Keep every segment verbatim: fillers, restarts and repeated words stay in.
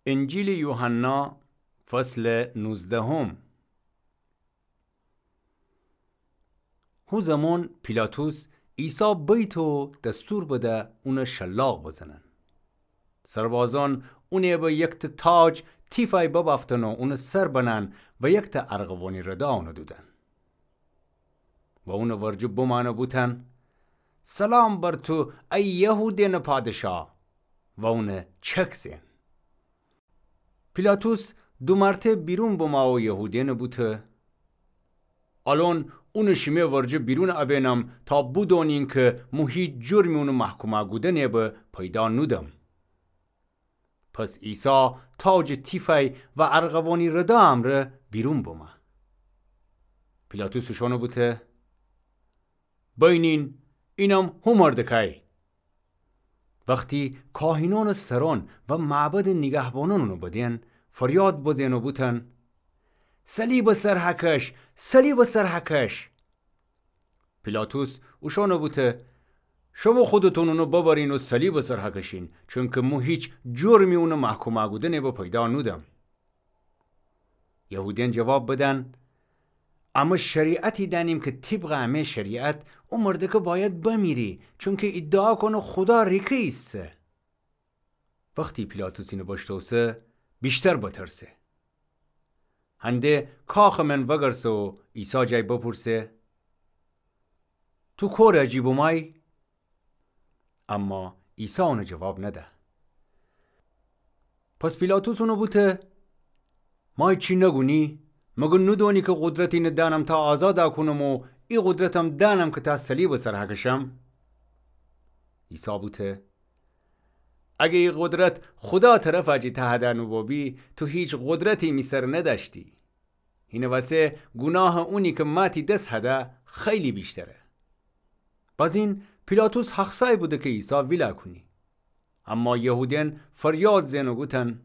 انجیلٚ یوحنا، فصلٚ نوزدهم. هو زمان پیلاطس عیسی بیت و دستور بده اونَ شلاق بزنن. سربازأن اونَ به یکتأ تاج تیفأی ببأفتن و اونٚ سر بنن و یکتأ ارغوانی ردا اونَ دودن و اونٚ ورجه بمأن و بوتن: سلام بر تو ای یهودأنٚ پادشا! و اونَ چک زئن. پیلاطس دو مرتأ بیرون بمه و یهودأنَ بوته: الأن اونَ شیمه ورجه بیرون ابینم تا بودونین کی مو هیچ جرمی اونٚ محکومَ گودنٚ به پیدا نودم. پس عیسی تاجٚ تیفأی و ارغوانی ردا امرأ بیرون بمه. پیلاطس اوشأنَ بوته: بینین، اینم هو مردکأی. وختی کاهینأنٚ سرأن و معبدٚ نیگهبانأن اونَ بدین، فریاد بزین و بوتن: صلیبٚ سر هکش، صلیبٚ سر هکش! پیلاطس اوشأنَ بوته: شمو خودتون اونَ ببرین و صلیبٚ سر هکشین، چونکی مو هیچ جرمی اونٚ محکومَ گودنٚ به پیدا نودم. یهودأن جواب بدن: امه شریعتی دأنیم کی طیبقٚ امه شریعت او مردکه بأید بمیری، چونکی ادعا کونه خودا ریکه ایسه. وختی پیلاطس اینَ بشتوسه، ویشتر بترسه. هنده کاخٚ من وگرسه و عیسی جای بپورسه: تو کورٚ جی بومای؟ اما عیسی اونَ جواب نده. پس پیلاطس اونَ بوته: مای چی نگونی؟ مگر نودونی کی قدرت اینَ دأنم تا آزادَ کونم و ای قدرتم دأنم کی تا صلیبٚ سر هکشم؟ عیسی بوته: اگه ای قدرت خودا طرفٚ جی ته‌دأ نوبوبی، تو هیچ قدرتی می سر ندأشتی. هینٚ وسه گوناهٚ اونی کی مأ تی دس هده خیلی ویشتره. بازین پیلاطس حق‌سای بوده کی عیسی ویلأ کونی. اما یهودأن فریاد زئن و گوتن: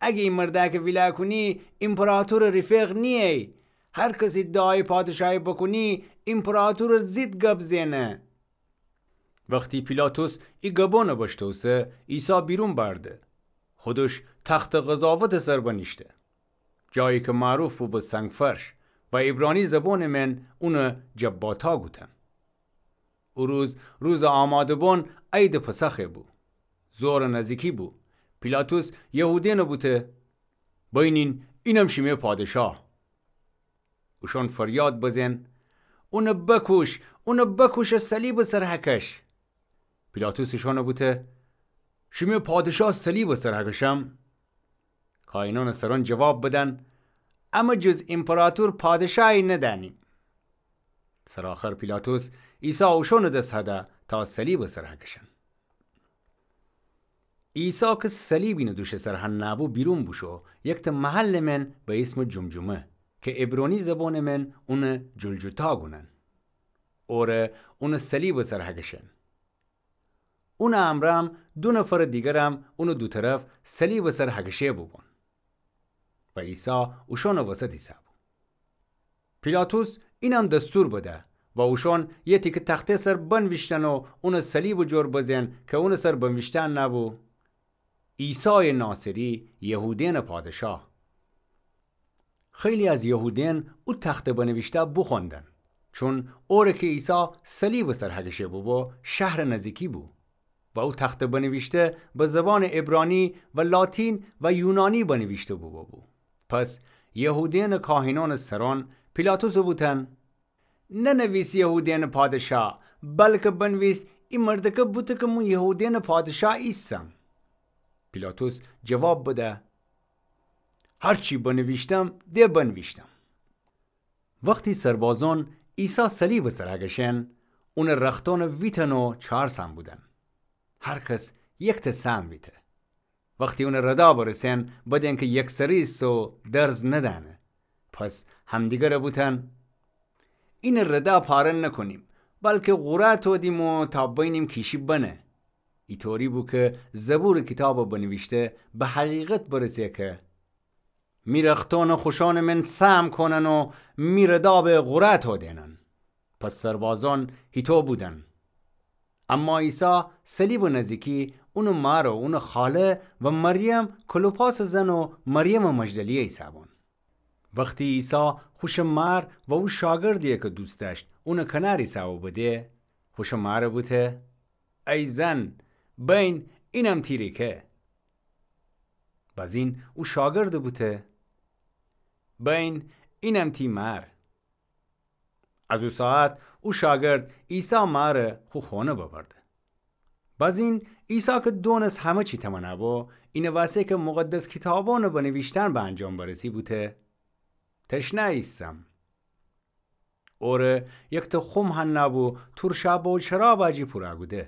اگه ای مردأکه ویلأ کونی، ایمپراطورٚ ریفیق نییی. هر کس ادعایٚ پادشایی بوکونی، ایمپراطورٚ ضد گب زئنه. وختی پیلاطس ای گبأنَ بشتوسه، عیسی بیرون بأرده. خودش تختٚ قضاوتٚ سر بنیشته، جایی کی معروف بو به سنگ‌فرش و عبرانی زبانٚ من اونَ جباتا گوتن. او روز، روزٚ آماده‌بان، عیدٚ پسخ بو. ظهرٚ نزیکی بو. پیلاطس یهودأنَ بوته: بینین، اینم شیمه پادشا. اوشأن فریاد بزئن: اونَ بکوش، اونَ بکوش و صلیبٚ سر هکش. پیلاطس اوشأنَ بوته: شیمه پادشا صلیبٚ سر هکشم؟ کاهینأنٚ سرأن جواب بدن: امه جز ایمپراطور پادشایی ندأنیم. سرٚ آخر پیلاطس عیسی اوشأنٚ دس هده تا صلیبٚ سر هکشن. عیسی کی صلیب اینٚ دوشٚ سر هنه بو، بیرون بوشو، یکتأ محلٚ من به ایسمٚ جمجمه، کی عبرانی زبانٚ من اونَ جلجتا گونن. اوره اونٚ صلیبٚ سر هکشن. اونٚ امرأم دو نفرٚ دیگرم اونٚ دو طرف صلیبٚ سر هکشه بوبون و عیسی اوشأنٚ وسط ایسه‌بو. پیلاطس اینم دستور بده و اوشأن یه تیکه تخته سر بنویشتن و اونٚ صلیبٚ جور بزئن کی اونٚ سر بنویشته نبو: عیسایٚ ناصری، یهودأنٚ پادشا. خیلی از یهودأن او تخته بنویشته بوخوأندن، چون اوره کی عیسی صلیبٚ سر هکشه بوبو، شهرٚ نزیکی بو و او تخته بنویشته به زبانٚ عبرانی و لاتین و یونانی بنویشته بوبو. پس یهودأنٚ کاهینأنٚ سرأن پیلاطسٚ بوتن: ننویس یهودأنٚ پادشا، بلکه بنویس: ای مردکه بوته کی مو یهودأنٚ پادشا ایسم. پیلاطس جواب بده: هرچی بنویشتم، ده بنویشتم. وختی سربازأن عیسی صلیبٚ سر هکشن، اونٚ رختأنٚ ویتن و چهار سهم بودن، هر کس یکتأ سهم ویته. وختی اونٚ ردا برسن، بدأن کی یکسره ایسه و درز ندأنه. پس همدیگره بوتن: اینٚ ردا پاره نکونیم، بلکه قورعه تودیم و تا بینیم کی شی بنه. ایطوری بو کی زبورٚ کیتابٚ بنویشته به حقیقت برسه کی می رختأنٚ خوشأنٚ من سهم کونن و می ردا به قورعه تودینن. پس سربازأن هیطو بودن. اما عیسی صلیبٚ نزیکی اونٚ مار و اونٚ خاله و مریم کلوپاسٚ زن و مریمٚ مجدلیه ایسه‌بون. وختی عیسی خوشٚ مار و او شاگردیی کی دوست دأشت اونٚ کنار ایسه‌بو بده، خوشٚ مارٚ بوته: ای زن، بین اینم تی ریکه. بازین او شاگردٚ بوته: بین اینم تی مار. از او ساعت او شاگرد عیسی مارٚ خو خونه ببرده. بازین عیسی کی دونست همه چی تمنا بو، اینٚ واسه کی مقدس کیتابونٚ بنیویشتن به انجام برسی بوته: تشنه ایسم. اوره یکته خم هنأبو تورشا بو شرابٚ جی پورا کوده.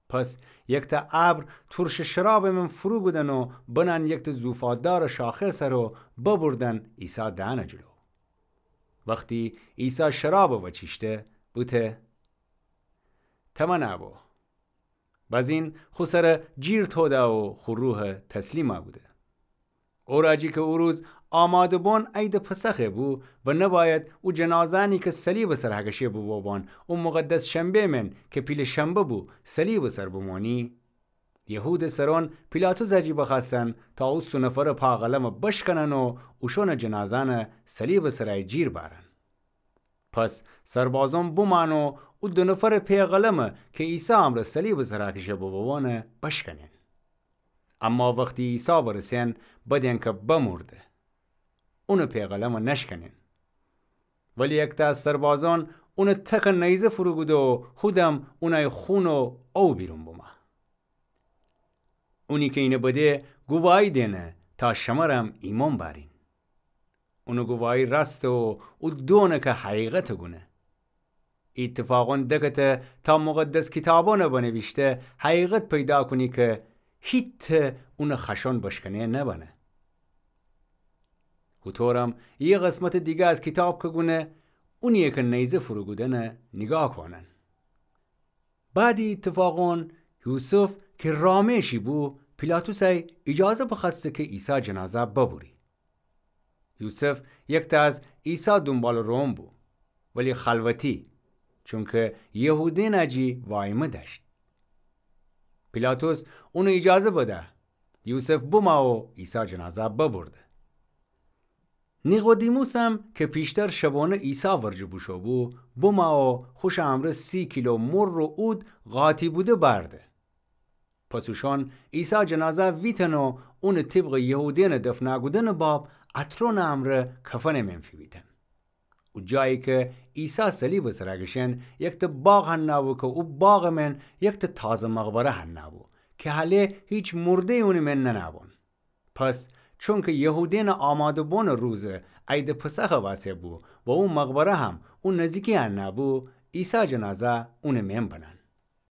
پس یکته ابر تورشٚ شرابٚ من فرو کودن و بنأن یکته زوفاددارٚ شاخه سر و ببردن عیسی دهنٚ جلو. وختی عیسی شرابٚ وأچیشته بوته: تمنا بو. بازین خو سر جیر توده و خو روح تسلیمَ کوده. اوراجی کی او روز آماده بون عیدٚ پسخه بو و نباید او جنازه‌نی کی صلیبٚ سر هکشه بوبوبان او مقدس شنبه من کی پیله شنبه بو صلیبٚ سر بمونی، یهودٚ سرون پیلاطسٚ جی بخوأستن تا او سه نفرٚ پا قلمَ بشکنن و اوشونٚ جنازه‌نَ صلیبٚ سرَ جیر بأرن. پس سربازون بومأن و او دو نفرٚ پی قلمَ کی عیسی امرأ صلیبٚ سر هکشه بوبوبانَ بشکنین. اما وختی عیسی برسین بدین کی بمرده، اونٚ پی قلمَ نشکنین. ولی یکته از سربازون اونٚ تکَ نیزه فرو کوده و هودم اونأی خون و او بیرون بومه. اونی کی اینَ بده گوواهی دینه تا شمرم ایمأن بأرین. اونٚ گوواهی راسته و او دونٚ کی حقیقتَ گونه. ای ایتفاقون دکته تا مقدس کیتابونٚ بنیویشته حقیقت پیدا کونی کی هیته اونٚ خشون بشکنه نبنه. هوطورم یه قسمتٚ دیگه از کیتاب کی گونه، اونیی کی نیزه فرو کودنَ نیگاه کونن. بعدٚ ای ایتفاقون یوسف کی رامه‌شی بو، پیلاطسَ ایجازه بخوأسته کی عیسی جنازه ببری. یوسف یکته از عیسی دونبالٚ روئون بو، ولی خلوتی، چونکی یهودیأنٚ جی وایمه دأشت. پیلاطس اونَ ایجازه بده، یوسف بومه و عیسی جنازه ببرده. نیقودیموسم کی پیشتر شبونه عیسی ورجه بوشو بو، بومه و خوشٚ امرأ سی کیلو مر و عود قاطی بوده بأرده. پس اوشون عیسی جنازه ویتن و اونٚ طبقٚ یهودیأنٚ دفنَ کودنٚ باب عطرونٚ امرأ کفنٚ من فیویتن. او جایی کی عیسی صلیبٚ سر کشین یکته باغ هنأبو کی او باغٚ من یکته تازه مقبره هنأبو کی هله هیچ مرده‌یی اونٚ من ننأبون. پس چونکی یهودیأنٚ آماده بونٚ روزٚ عیدٚ پسخٚ واسه بو و او مقبره هم او نزیکی هنأبو، عیسی جنازه اونٚ من بنأن.